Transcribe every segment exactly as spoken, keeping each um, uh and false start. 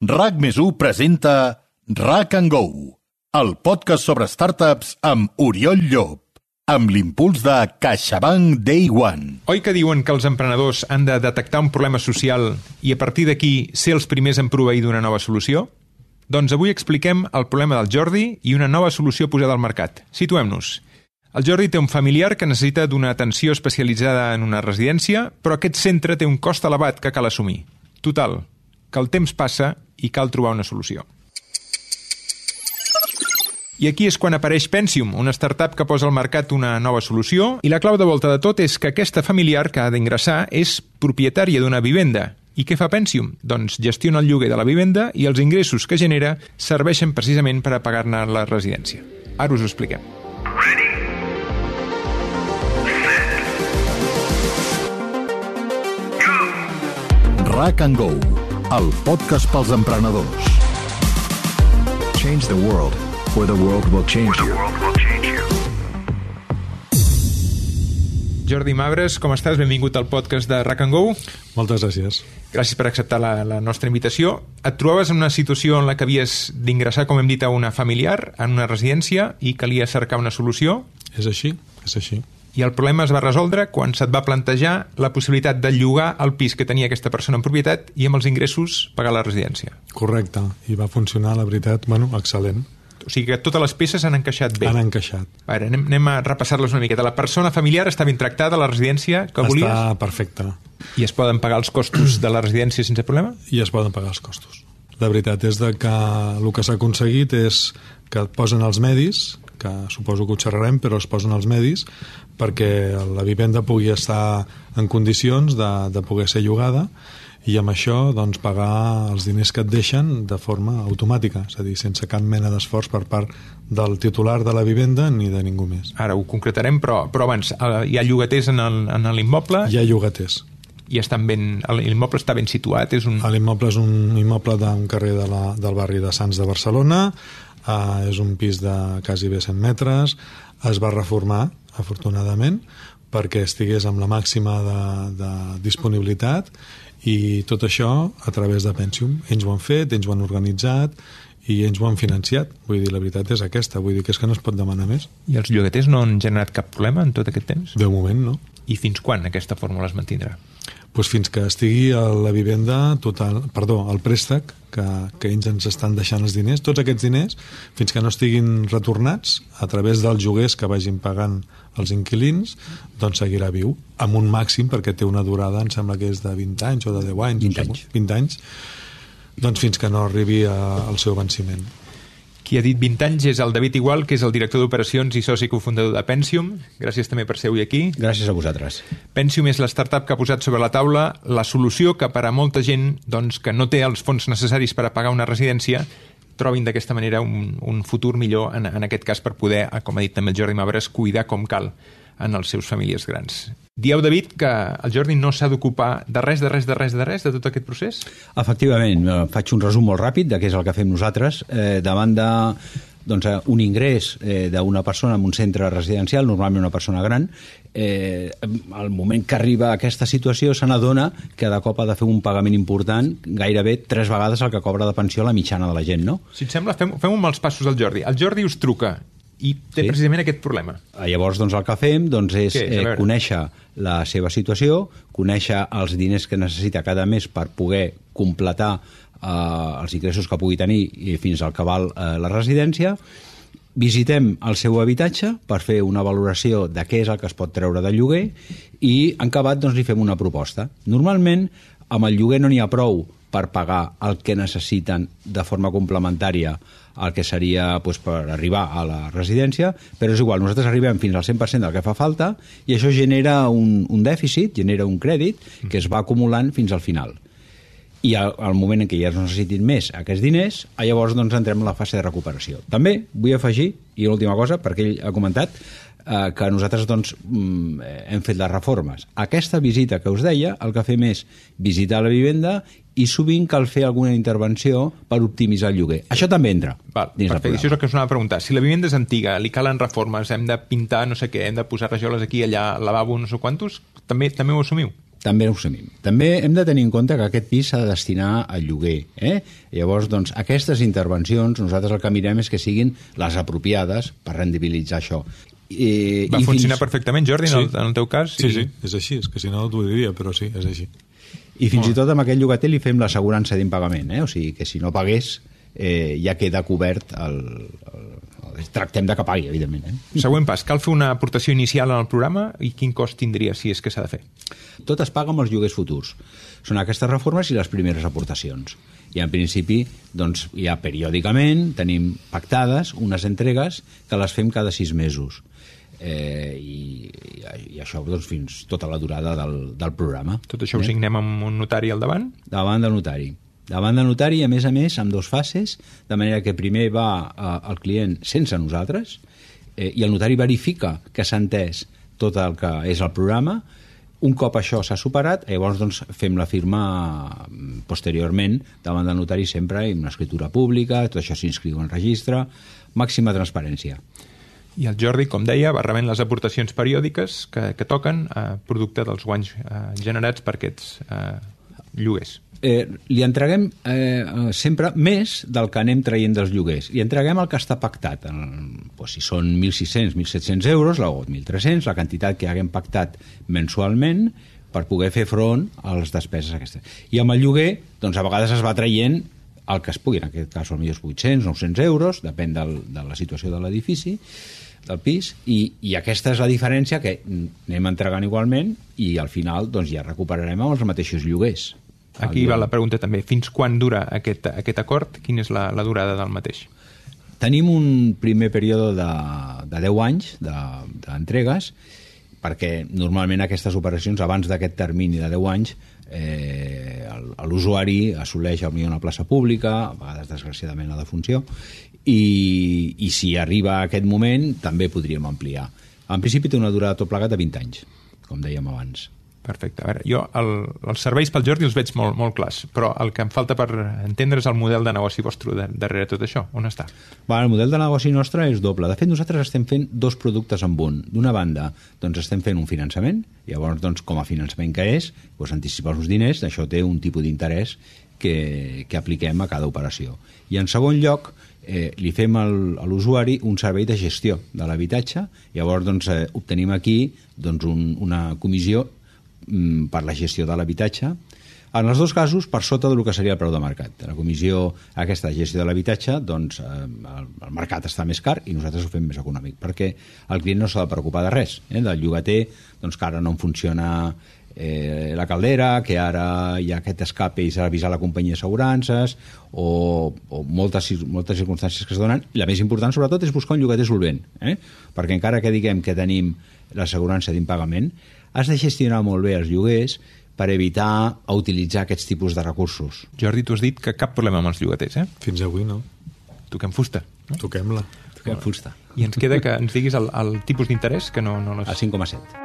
RAC més u presenta RAC and Go, el podcast sobre startups amb Oriol Llop, amb l'impuls de CaixaBank Day One. Oi que diuen que els emprenedors han de detectar un problema social i a partir d'aquí ser els primers en proveir d'una nova solució? Doncs avui expliquem el problema del Jordi i una nova solució posada al mercat. Situem-nos. El Jordi té un familiar que necessita d'una atenció especialitzada en una residència, però aquest centre té un cost elevat que cal assumir. Total, que el temps passa i cal trobar una solució. I aquí és quan apareix Pensium, una startup que posa al mercat una nova solució, i la clau de volta de tot és que aquesta familiar que ha d'ingressar és propietària d'una vivenda. I què fa Pensium? Doncs gestiona el lloguer de la vivenda i els ingressos que genera serveixen precisament per a pagar-ne la residència. Ara us ho expliquem. RAC and Go, el podcast pels emprenedors. Change the world, or the world will change you. Jordi Mabres, com estàs? Benvingut al podcast de RAC and Go. Moltes gràcies. Gràcies per acceptar la, la nostra invitació. Et trobaves en una situació en la que havies d'ingressar, com hem dit, a una familiar, en una residència, i calia cercar una solució. És així, és així. I el problema es va resoldre quan se't va plantejar la possibilitat de llogar el pis que tenia aquesta persona en propietat i amb els ingressos pagar la residència. Correcte, i va funcionar, la veritat, bueno, excel·lent. O sigui que totes les peces han encaixat bé. Han encaixat. A veure, anem, anem a repassar-les una miqueta. La persona familiar està ben tractada a la residència que volies? Està perfecta. I es poden pagar els costos de la residència sense problema? I es poden pagar els costos. La veritat és de que el que s'ha aconseguit és que et posen els medis, que suposo que ho xerrarem, però es posen els medis perquè la vivenda pugui estar en condicions de, de poder ser llogada i amb això doncs, pagar els diners que et deixen de forma automàtica, és a dir, sense cap mena d'esforç per part del titular de la vivenda ni de ningú més. Ara ho concretarem, però, però abans, hi ha llogaters en l'immoble? Hi ha llogaters. I estan ben, l'immoble està ben situat? És un... L'immoble és un immoble d'un carrer de la, del barri de Sants de Barcelona, uh, és un pis de quasi bé cent metres, es va reformar, afortunadament, perquè estigués amb la màxima de, de disponibilitat i tot això a través de Pensium. Ells ho han fet, ells ho han organitzat i ells ho han financiat. Vull dir, la veritat és aquesta, vull dir que és que no es pot demanar més. I els llogaters no han generat cap problema en tot aquest temps? De moment, no. I fins quan aquesta fórmula es mantindrà? Pues fins que estigui a la vivenda total, perdó, el préstec que, que ells ens estan deixant els diners, tots aquests diners, fins que no estiguin retornats a través dels lloguers que vagin pagant els inquilins, doncs seguirà viu, amb un màxim, perquè té una durada, em sembla que és de vint anys o de deu anys. vint anys. vint anys, doncs fins que no arribi a, al seu venciment. Qui ha dit vint anys és el David Igual, que és el director d'operacions i soci cofundador de Pensium. Gràcies també per ser avui aquí. Gràcies a vosaltres. Pensium és la startup que ha posat sobre la taula la solució que per a molta gent doncs, que no té els fons necessaris per a pagar una residència trobin d'aquesta manera un, un futur millor, en, en aquest cas per poder, com ha dit també el Jordi Mabres, cuidar com cal en els seus famílies grans. Dieu, David, que el Jordi no s'ha d'ocupar de res, de res, de res, de res, de tot aquest procés? Efectivament, faig un resum molt ràpid de què és el que fem nosaltres. Eh, davant de doncs, un ingrés eh, d'una persona en un centre residencial, normalment una persona gran, eh, al moment que arriba a aquesta situació se n'adona que de cop ha de fer un pagament important, gairebé tres vegades el que cobra de pensió la mitjana de la gent, no? Si et sembla, fem, fem un mals passos al Jordi. El Jordi us truca i té sí. precisament aquest problema. Llavors, doncs, el que fem doncs, és, és eh, conèixer la seva situació, conèixer els diners que necessita cada mes per poder completar eh, els ingressos que pugui tenir i fins al que val eh, la residència. Visitem el seu habitatge per fer una valoració de què és el que es pot treure del lloguer i, en acabat, doncs, li fem una proposta. Normalment, amb el lloguer no n'hi ha prou per pagar el que necessiten de forma complementària el que seria doncs, per arribar a la residència, però és igual, nosaltres arribem fins al cent per cent del que fa falta i això genera un, un dèficit, genera un crèdit que es va acumulant fins al final. I al, al moment en què ja es necessitin més aquests diners, llavors doncs, entrem en la fase de recuperació. També vull afegir, i l'última cosa, perquè ell ha comentat, eh, que nosaltres doncs, hem fet les reformes. Aquesta visita que us deia, el que fem és visitar la vivenda i sovint cal fer alguna intervenció per optimitzar el lloguer. Això també entra. Val, perfecte, això és el que us anava a preguntar. Si la vivenda és antiga, li calen reformes, hem de pintar no sé què, hem de posar rajoles aquí, allà, lavabo, no sé quantos, també, també ho assumiu? També ho sabem. També hem de tenir en compte que aquest pis s'ha de destinar al lloguer. Eh? Llavors, doncs, aquestes intervencions, nosaltres el que mirem és que siguin les apropiades per rendibilitzar això. I, Va i funcionar fins... perfectament, Jordi, en, sí. el, en el teu cas? Sí, sí, sí, és així. És que si no t'ho diria, però sí, és així. I fins oh. i tot amb aquell llogater li fem l'assegurança d'impagament. Eh? O sigui, que si no pagués eh, ja queda cobert el... el tractem de que pagui, evidentment. Eh? Següent pas, cal fer una aportació inicial en el programa i quin cost tindria si és que s'ha de fer? Tot es paga amb els lloguers futurs. Són aquestes reformes i les primeres aportacions. I en principi, doncs, ja periòdicament tenim pactades unes entregues que les fem cada sis mesos. Eh, i, i això doncs, fins tota la durada del, del programa. Tot això ho signem amb un notari al davant? Davant del notari. Davant del notari, a més a més, amb dos fases, de manera que primer va eh, el client sense nosaltres eh, i el notari verifica que s'ha entès tot el que és el programa. Un cop això s'ha superat, llavors doncs, fem la firma posteriorment davant del notari sempre en una escritura pública, tot això s'inscriu en registre, màxima transparència. I el Jordi, com deia, va rebent les aportacions periòdiques que, que toquen a producte dels guanys eh, generats per aquests eh, lloguers. Eh, li entreguem eh, sempre més del que anem traient dels lloguers. Li entreguem el que està pactat. En, pues, si són mil sis-cents, mil set-cents euros, o mil tres-cents, la quantitat que haguem pactat mensualment per poder fer front a les despeses aquestes. I amb el lloguer, doncs, a vegades es va traient el que es pugui, en aquest cas potser vuit-cents, nou-cents euros, depèn del, de la situació de l'edifici, del pis, i, i aquesta és la diferència que anem entregant igualment i al final doncs, ja recuperarem amb els mateixos lloguers. Aquí va la pregunta també. Fins quan dura aquest, aquest acord? Quina és la, la durada del mateix? Tenim un primer període de, de deu anys d'entregues, de, perquè normalment aquestes operacions, abans d'aquest termini de deu anys, eh, l'usuari assoleix potser una plaça pública, a vegades desgraciadament la defunció, i, i si arriba a aquest moment també podríem ampliar. En principi té una durada tot plegat de vint anys, com dèiem abans. Perfecte. A veure, jo el, els serveis pel Jordi els veig molt, molt clars, però el que em falta per entendre és el model de negoci vostre de, darrere tot això. On està? Bueno, el model de negoci nostre és doble. De fet, nosaltres estem fent dos productes en un. D'una banda, doncs estem fent un finançament, llavors, doncs, com a finançament que és, doncs, anticipar uns diners, això té un tipus d'interès que, que apliquem a cada operació. I en segon lloc, eh, li fem al, a l'usuari un servei de gestió de l'habitatge, llavors doncs, eh, obtenim aquí doncs, un, una comissió per la gestió de l'habitatge, en els dos casos per sota del que seria el preu de mercat. La comissió aquesta de gestió de l'habitatge, doncs eh, el, el mercat està més car i nosaltres ho fem més econòmic, perquè el client no s'ha de preocupar de res, eh? Del llogater, doncs que ara no en funciona eh, la caldera, que ara hi ha aquest escape i s'ha d'avisar la companyia d'assegurances, o, o moltes, moltes circumstàncies que es donen. I la més important, sobretot, és buscar un llogater solvent, eh? Perquè encara que diguem que tenim l'assegurança d'impagament, has de gestionar molt bé els lloguers per evitar utilitzar aquests tipus de recursos. Jordi, tu has dit que cap problema amb els llogaters, eh? Fins avui no. Toquem fusta. No? Toquem-la. Toquem fusta. I ens queda que ens diguis el, el tipus d'interès, que no... no les... A cinc coma set.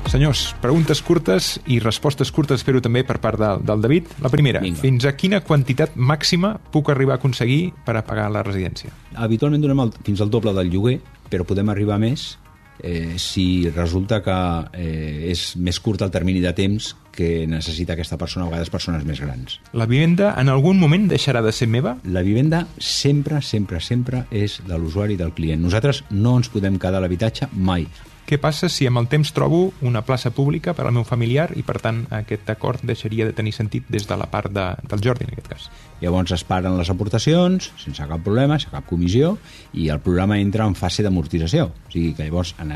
Senyors, preguntes curtes i respostes curtes, espero també per part del, del David. La primera, Vinga. Fins a quina quantitat màxima puc arribar a aconseguir per a pagar la residència? Habitualment donem el, fins al doble del lloguer, però podem arribar a més eh, si resulta que eh, és més curt el termini de temps que necessita aquesta persona, a vegades persones més grans. La vivenda en algun moment deixarà de ser meva? La vivenda sempre, sempre, sempre és de l'usuari i del client. Nosaltres no ens podem quedar a l'habitatge mai. Què passa si amb el temps trobo una plaça pública per al meu familiar i, per tant, aquest acord deixaria de tenir sentit des de la part de, del Jordi, en aquest cas? Llavors es paren les aportacions, sense cap problema, sense cap comissió, i el programa entra en fase d'amortització. O sigui que llavors, a,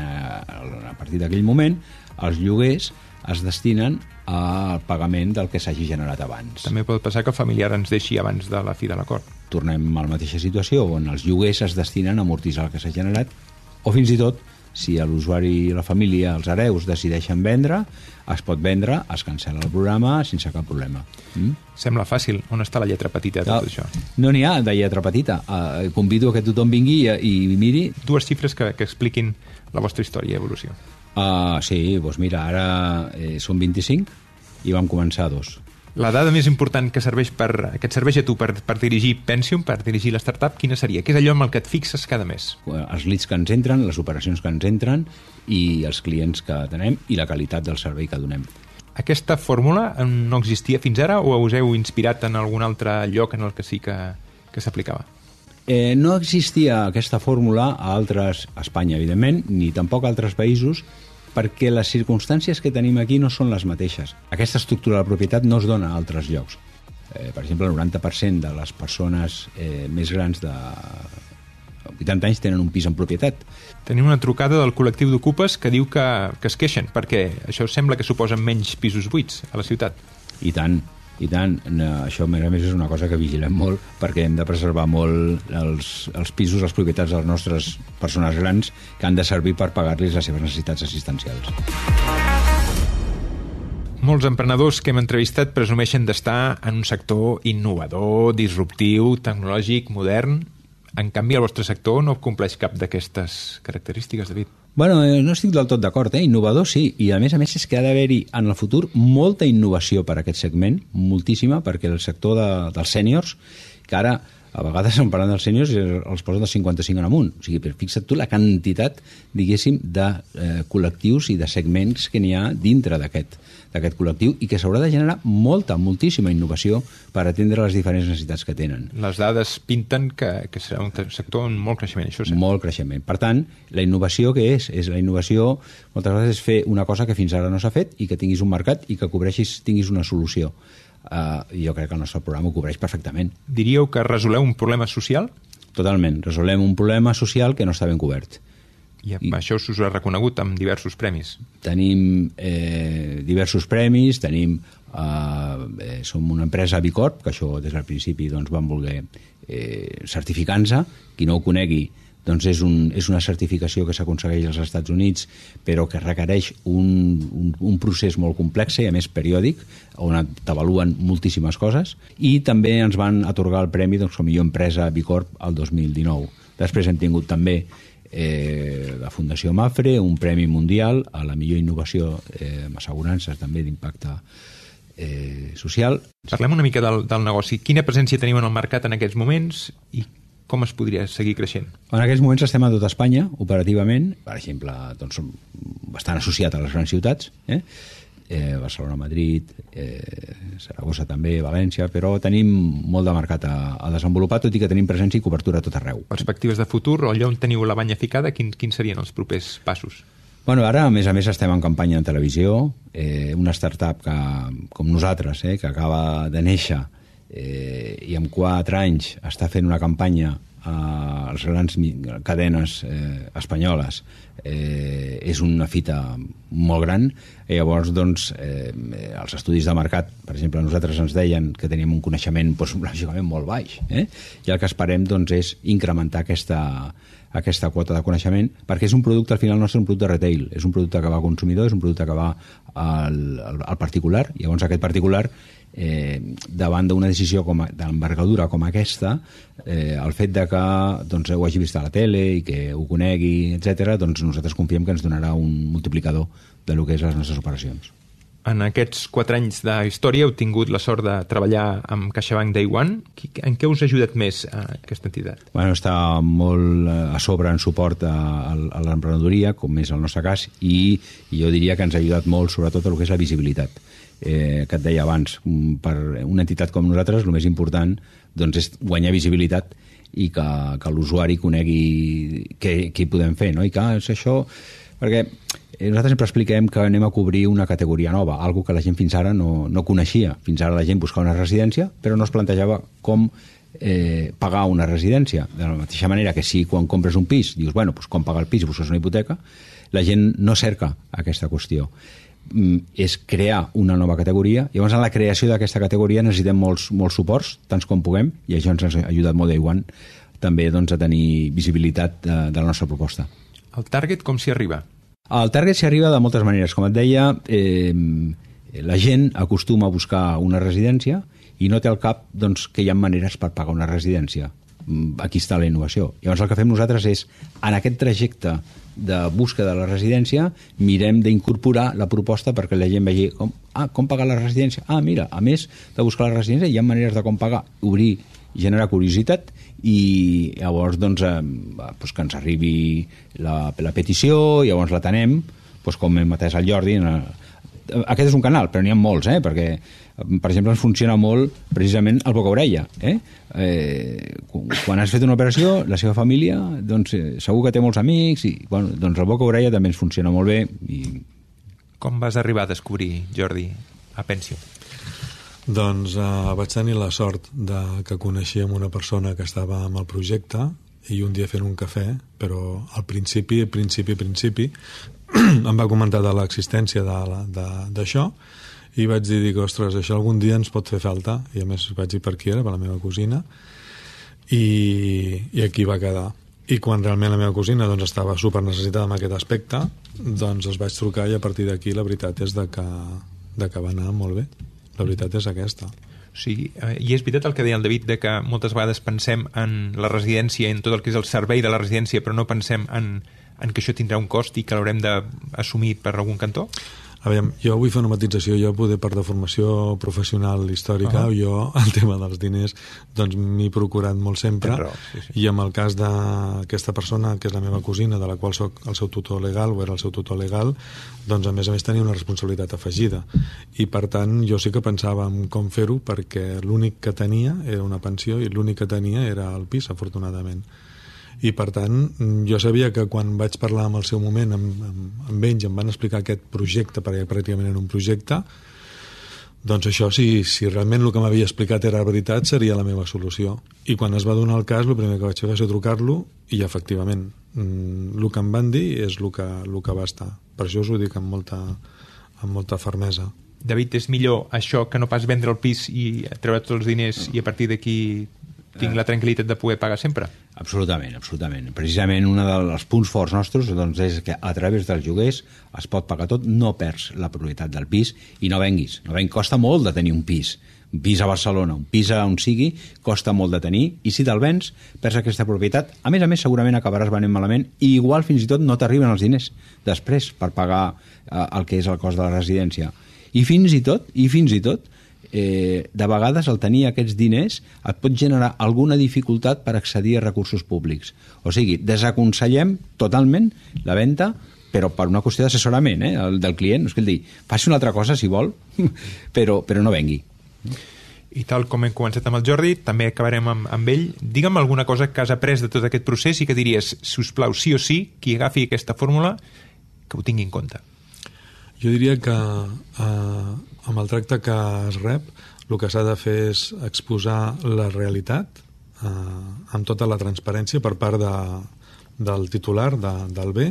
a partir d'aquell moment, els lloguers es destinen al pagament del que s'hagi generat abans. També pot passar que el familiar ens deixi abans de la fi de l'acord. Tornem a la mateixa situació on els lloguers es destinen a amortitzar el que s'ha generat, o fins i tot, si l'usuari i la família, els hereus, decideixen vendre, es pot vendre, es cancel·la el programa sense cap problema. Mm? Sembla fàcil. On està la lletra petita de tot no, això? No n'hi ha de lletra petita. Uh, convido a que tothom vingui i, i miri. Dues xifres que, que expliquin la vostra història i evolució. Uh, sí, doncs mira, ara eh, són vint-i-cinc i vam començar dos. La dada més important que, serveix per, que et serveix a tu per, per dirigir Pensium, per dirigir la startup, quina seria? Què és allò amb el que et fixes cada mes? Els leads que ens entren, les operacions que ens entren i els clients que tenem i la qualitat del servei que donem. Aquesta fórmula no existia fins ara o us heu inspirat en algun altre lloc en el que sí que, que s'aplicava? Eh, no existia aquesta fórmula a altres, a Espanya, evidentment, ni tampoc a altres països, perquè les circumstàncies que tenim aquí no són les mateixes. Aquesta estructura de la propietat no es dona a altres llocs. Eh, per exemple, el noranta per cent de les persones eh, més grans de vuitanta anys tenen un pis en propietat. Tenim una trucada del col·lectiu d'ocupes que diu que, que es queixen, perquè això sembla que suposen menys pisos buits a la ciutat. I tant. I tant, això a més és una cosa que vigilem molt perquè hem de preservar molt els, els pisos, les propietats de les nostres persones grans que han de servir per pagar-los les seves necessitats assistencials. Molts emprenedors que hem entrevistat presumeixen d'estar en un sector innovador, disruptiu, tecnològic, modern. En canvi, el vostre sector no compleix cap d'aquestes característiques, David. Bueno, no estic del tot d'acord, eh? Innovador sí, i a més a més és que ha d'haver-hi en el futur molta innovació per a aquest segment, moltíssima, perquè el sector de, dels sèniors, que ara a vegades en parlant dels sèniors els posen dels cinquanta-cinc en amunt, o sigui, però fixa't tu la quantitat, diguéssim, de eh, col·lectius i de segments que n'hi ha dintre d'aquest d'aquest col·lectiu i que s'haurà de generar molta, moltíssima innovació per atendre les diferents necessitats que tenen. Les dades pinten que, que serà un sector en molt creixement, això sí. Molt creixement. Per tant, la innovació què és? És la innovació, moltes vegades, és fer una cosa que fins ara no s'ha fet i que tinguis un mercat i que cobreixis, tinguis una solució. Uh, jo crec que el nostre programa ho cobreix perfectament. Diríeu que resoleu un problema social? Totalment. Resolem un problema social que no està ben cobert. I, I això us ha reconegut amb diversos premis. Tenim eh, diversos premis, tenim eh, eh, som una empresa B Corp, que això des del principi doncs, vam voler eh, certificar-nos. Qui no ho conegui, doncs és, un, és una certificació que s'aconsegueix als Estats Units, però que requereix un, un, un procés molt complex i a més periòdic, on t'avaluen moltíssimes coses, i també ens van atorgar el premi doncs, com a millor empresa B Corp el dos mil dinou. Després hem tingut també Eh, la Fundació Mafre, un premi mundial a la millor innovació eh, amb assegurances també d'impacte eh, social. Parlem una mica del, del negoci. Quina presència teniu en el mercat en aquests moments i com es podria seguir creixent? En aquests moments estem a tot Espanya, operativament. Per exemple, doncs, som bastant associats a les grans ciutats, eh? Eh, Barcelona, Madrid, eh, Saragossa també, València, però tenim molt de mercat a, a desenvolupar, tot i que tenim presència i cobertura a tot arreu. Perspectives de futur, allà on teniu la banya ficada, quins, quins serien els propers passos? Bueno, ara, a més a més, estem en campanya en televisió, eh, una startup que, com nosaltres, eh, que acaba de néixer eh, i en quatre anys està fent una campanya a les grans cadenes eh, espanyoles, eh, és una fita molt gran, i llavors doncs, eh, els estudis de mercat, per exemple, nosaltres ens deien que teníem un coneixement doncs, lògicament molt baix, eh? I el que esperem doncs, és incrementar aquesta, aquesta quota de coneixement, perquè és un producte, al final nostre, un producte de retail, és un producte que va al consumidor, és un producte que va al, al, al particular, i llavors aquest particular Eh, davant d'una decisió com a, d'envergadura com aquesta, eh, el fet de que doncs, ho hagi vist a la tele i que ho conegui, etcètera, doncs nosaltres confiem que ens donarà un multiplicador de lo que és les nostres operacions. En aquests quatre anys de història heu tingut la sort de treballar amb CaixaBank Day One. En què us ha ajudat més a aquesta entitat? Bueno, està molt a sobre en suport a, a l'emprenedoria, com és el nostre cas, i, i jo diria que ens ha ajudat molt sobretot a lo que és la visibilitat. Eh, que et deia abans, per una entitat com nosaltres el més important doncs, és guanyar visibilitat i que, que l'usuari conegui què, què hi podem fer, no? I que és això, perquè nosaltres sempre expliquem que anem a cobrir una categoria nova, algo que la gent fins ara no, no coneixia. Fins ara la gent buscava una residència, però no es plantejava com eh, pagar una residència. De la mateixa manera que si quan compres un pis dius, bueno, doncs com pagar el pis i busques una hipoteca, la gent no cerca aquesta qüestió. És crear una nova categoria. Llavors, en la creació d'aquesta categoria necessitem molts, molts suports, tants com puguem, i això ens ha ajudat molt Day One també doncs, a tenir visibilitat de, de la nostra proposta. El target com s'hi arriba? El target s'hi arriba de moltes maneres. Com et deia, eh, la gent acostuma a buscar una residència i no té al cap doncs, que hi ha maneres per pagar una residència. aquí està la innovació. Llavors el que fem nosaltres és, en aquest trajecte de búsqueda de la residència, mirem d'incorporar la proposta perquè la gent vegi com, ah, com pagar la residència. Ah, mira, a més de buscar la residència hi ha maneres de com pagar, obrir, generar curiositat i llavors doncs, eh, doncs que ens arribi la, la petició, llavors l'atenem, doncs com hem atès al Jordi. Aquest és un canal, però n'hi ha molts, eh? Perquè, per exemple, ens funciona molt precisament el boca-orella. Eh? Eh, quan has fet una operació, la seva família, doncs, eh, segur que té molts amics, i bueno, doncs el boca-orella també ens funciona molt bé. I... Com vas arribar a descobrir, Jordi, a Pensio? Doncs eh, vaig tenir la sort de que coneixíem una persona que estava amb el projecte i un dia fent un cafè, però al principi, principi, principi, em va comentar de l'existència d'això i vaig dir, dic, ostres, això algun dia ens pot fer falta, i a més vaig dir per qui era, per la meva cosina, i, i aquí va quedar. I quan realment la meva cosina doncs, estava super necessitada en aquest aspecte, doncs els vaig trucar i a partir d'aquí la veritat és de que, de que va anar molt bé. La veritat és aquesta. Sí, i és veritat el que deia el David, de que moltes vegades pensem en la residència, en tot el que és el servei de la residència, però no pensem en, en que això tindrà un cost i que l'haurem d'assumir per algun cantó? A veure, jo vull fer una matització, jo poder per de formació professional històrica, uh-huh. jo el tema dels diners doncs m'he procurat molt sempre, raó, sí, sí. I en el cas d'aquesta persona, que és la meva cosina, de la qual soc el seu tutor legal, o era el seu tutor legal, doncs a més a més tenia una responsabilitat afegida. I per tant jo sí que pensava en com fer-ho, perquè l'únic que tenia era una pensió i l'únic que tenia era el pis, afortunadament. I per tant jo sabia que quan vaig parlar en el seu moment amb, amb, amb ells, em van explicar aquest projecte, perquè pràcticament era un projecte, doncs això, si, si realment el que m'havia explicat era veritat, seria la meva solució. I quan es va donar el cas, el primer que vaig fer va ser trucar-lo i efectivament el que em van dir és el que, el que va estar. Per això us ho dic amb molta, amb molta fermesa. David, és millor això que no pas vendre el pis i treure tots els diners i a partir d'aquí tinc la tranquil·litat de poder pagar sempre? Absolutament, absolutament. Precisament un dels punts forts nostres doncs, és que a través dels lloguers es pot pagar tot, no perds la propietat del pis i no venguis. No venguis. Costa molt de tenir un pis. Un pis a Barcelona, un pis a on sigui, costa molt de tenir i si te'l vens, perds aquesta propietat. A més a més, segurament acabaràs venent malament i igual fins i tot no t'arriben els diners després per pagar eh, el que és el cost de la residència. I fins i tot, i fins i tot, Eh, de vegades el tenir aquests diners et pot generar alguna dificultat per accedir a recursos públics. O sigui, desaconsellem totalment la venda, però per una qüestió d'assessorament eh, el del client. És que el dir, faci una altra cosa si vol, però, però no vengui. I tal com hem començat amb el Jordi, també acabarem amb, amb ell. Digue'm alguna cosa que has après de tot aquest procés i que diries, si us plau, sí o sí, qui agafi aquesta fórmula, que ho tingui en compte. Jo diria que eh, amb el tracte que es rep el que s'ha de fer és exposar la realitat eh, amb tota la transparència per part de, del titular de, del bé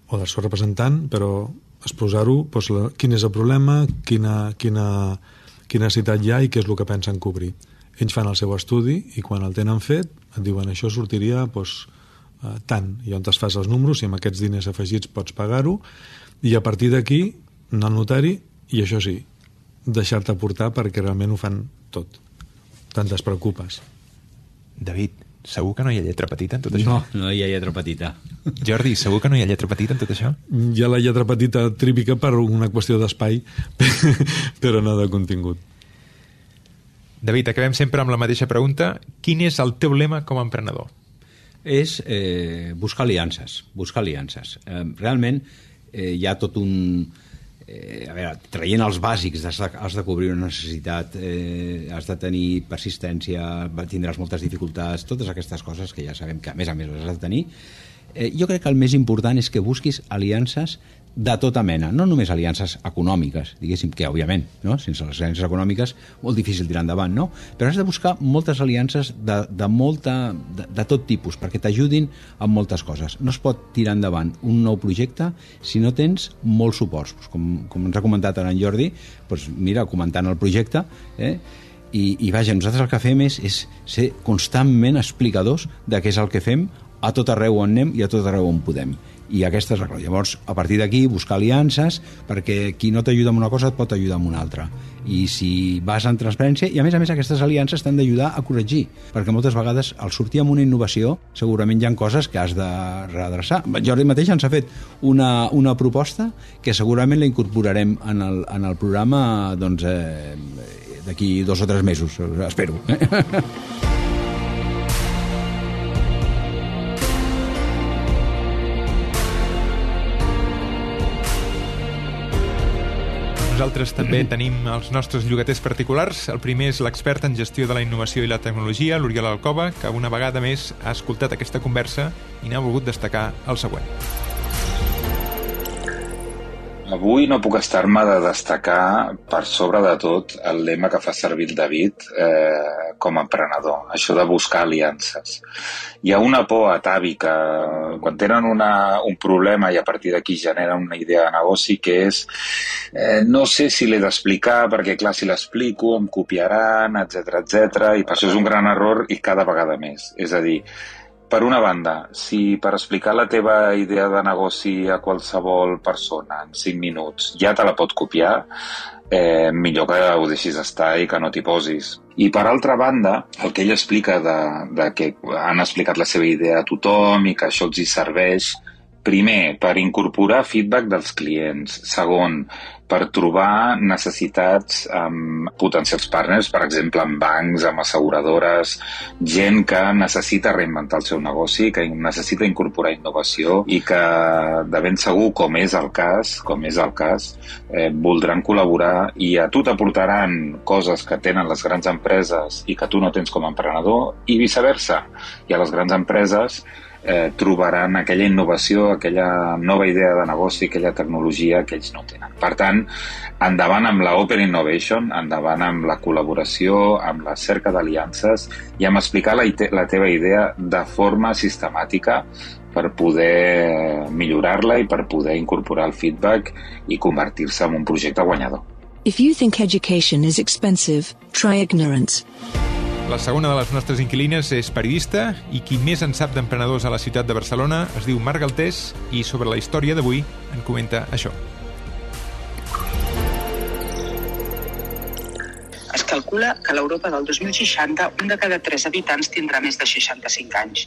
o del seu representant, però exposar-ho, doncs, la, quin és el problema, quina, quina, quina necessitat hi ha i què és el que pensen cobrir. Ells fan el seu estudi i quan el tenen fet et diuen això sortiria doncs, eh, tant, i on es fas els números i amb aquests diners afegits pots pagar-ho i a partir d'aquí anar al notari i això sí, deixar-te portar perquè realment ho fan tot. Te'n despreocupes. David, segur que no hi ha lletra petita en tot això? No, no hi ha lletra petita. Jordi, segur que no hi ha lletra petita en tot això? Hi ha la lletra petita típica per una qüestió d'espai, però no de contingut. David, acabem sempre amb la mateixa pregunta. Quin és el teu lema com a emprenedor? És eh, buscar aliances. Buscar aliances. Eh, realment eh, hi ha tot un... Eh, a veure, traient els bàsics, has de, has de cobrir una necessitat, eh, has de tenir persistència, tindràs moltes dificultats, totes aquestes coses que ja sabem que a més a més les has de tenir. Eh, jo crec que el més important és que busquis aliances de tota mena, no només aliances econòmiques, diguéssim que, òbviament, no? Sense les aliances econòmiques, molt difícil tirar endavant, no? Però has de buscar moltes aliances de, de, molta, de, de tot tipus, perquè t'ajudin en moltes coses. No es pot tirar endavant un nou projecte si no tens molts suports. Com, com ens ha comentat ara en Jordi, doncs mira, comentant el projecte, eh? I, i vaja, nosaltres el que fem és, és ser constantment explicadors de què és el que fem a tot arreu on anem i a tot arreu on podem. I aquesta és la clau. Llavors, a partir d'aquí, buscar aliances, perquè qui no t'ajuda amb una cosa et pot ajudar amb una altra. I si vas en transparència, i a més a més aquestes aliances t'han d'ajudar a corregir, perquè moltes vegades al sortir amb una innovació segurament hi ha coses que has de redreçar. Jordi mateix ens ha fet una, una proposta que segurament la incorporarem en el, en el programa doncs, eh, d'aquí dos o tres mesos, espero. Nosaltres també tenim els nostres llogaters particulars. El primer és l'expert en gestió de la innovació i la tecnologia, l'Oriol Alcoba, que una vegada més ha escoltat aquesta conversa i n'ha volgut destacar el següent. Avui no puc estar-me de destacar, per sobre de tot, el lema que fa servir el David eh, com a emprenedor, això de buscar aliances. Hi ha una por atàvica, quan tenen una, un problema i a partir d'aquí generen una idea de negoci, que és eh, no sé si l'he d'explicar, perquè clar, si l'explico em copiaran, etcètera, etcètera, i per això és un gran error i cada vegada més. És a dir, per una banda, si per explicar la teva idea de negoci a qualsevol persona en cinc minuts ja te la pot copiar, eh, millor que ho deixis estar i que no t'hi posis. I per altra banda, el que ell explica de, de que han explicat la seva idea a tothom i que això els hi serveix, primer, per incorporar feedback dels clients. Segon, per trobar necessitats amb potencials partners, per exemple, amb bancs, amb asseguradores, gent que necessita reinventar el seu negoci, que necessita incorporar innovació i que, de ben segur, com és el cas, com és el cas, eh, voldran col·laborar i a tu t'aportaran coses que tenen les grans empreses i que tu no tens com a emprenedor i viceversa. I a les grans empreses Eh, trobaran aquella innovació, aquella nova idea de negoci, aquella tecnologia que ells no tenen. Per tant, endavant amb la Open Innovation, endavant amb la col·laboració, amb la cerca d'aliances i amb explicar la, la teva idea de forma sistemàtica per poder millorar-la i per poder incorporar el feedback i convertir-se en un projecte guanyador. If you think education is expensive, try ignorance. La segona de les nostres inquilines és periodista i qui més en sap d'emprenedors a la ciutat de Barcelona es diu Marc Galtés i sobre la història d'avui en comenta això. Es calcula que a l'Europa del dos mil seixanta un de cada tres habitants tindrà més de seixanta-cinc anys.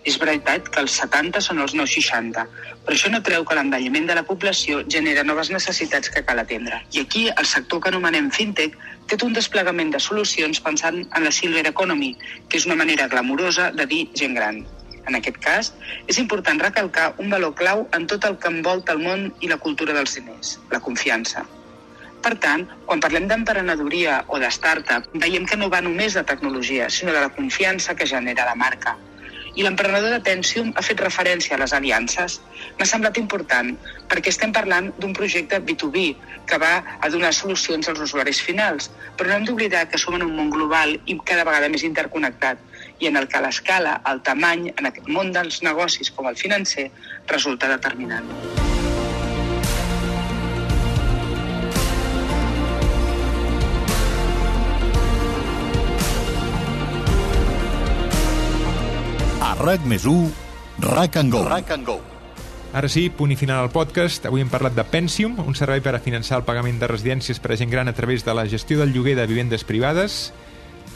És veritat que els setanta són els nous seixanta, però això no treu que l'envelliment de la població genera noves necessitats que cal atendre. I aquí el sector que anomenem fintech té un desplegament de solucions pensant en la silver economy, que és una manera glamurosa de dir gent gran. En aquest cas, és important recalcar un valor clau en tot el que envolta el món i la cultura dels diners, la confiança. Per tant, quan parlem d'emprenedoria o de startup, veiem que no va només de tecnologia, sinó de la confiança que genera la marca. I l'emprenedor de Pensium ha fet referència a les aliances. M'ha semblat important, perquè estem parlant d'un projecte B dos B que va a donar solucions als usuaris finals, però no hem d'oblidar que som en un món global i cada vegada més interconnectat, i en el que l'escala, el tamany, en aquest món dels negocis com el financer, resulta determinant. RAC més u, RAC and Go. RAC and Go. Ara sí, punt i final al podcast. Avui hem parlat de Pensium, un servei per a finançar el pagament de residències per a gent gran a través de la gestió del lloguer de vivendes privades.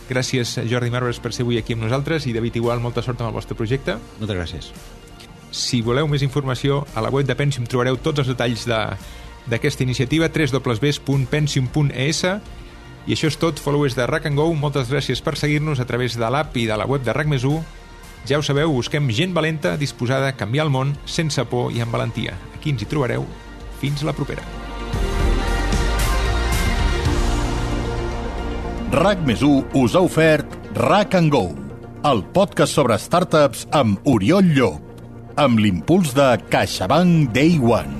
Gràcies, Jordi Marvers, per ser avui aquí amb nosaltres i David Igual, molta sort amb el vostre projecte. Moltes gràcies. Si voleu més informació, a la web de Pensium trobareu tots els detalls d'aquesta iniciativa, w w w punt pensium punt e s. I això és tot, followers de RAC and Go. Moltes gràcies per seguir-nos a través de l'app i de la web de RAC més u. Ja ho sabeu, busquem gent valenta disposada a canviar el món sense por i amb valentia. Aquí ens hi trobareu. Fins la propera. RAC més u us ha ofert RAC and Go, el podcast sobre startups amb Oriol Llop, amb l'impuls de CaixaBank Day One.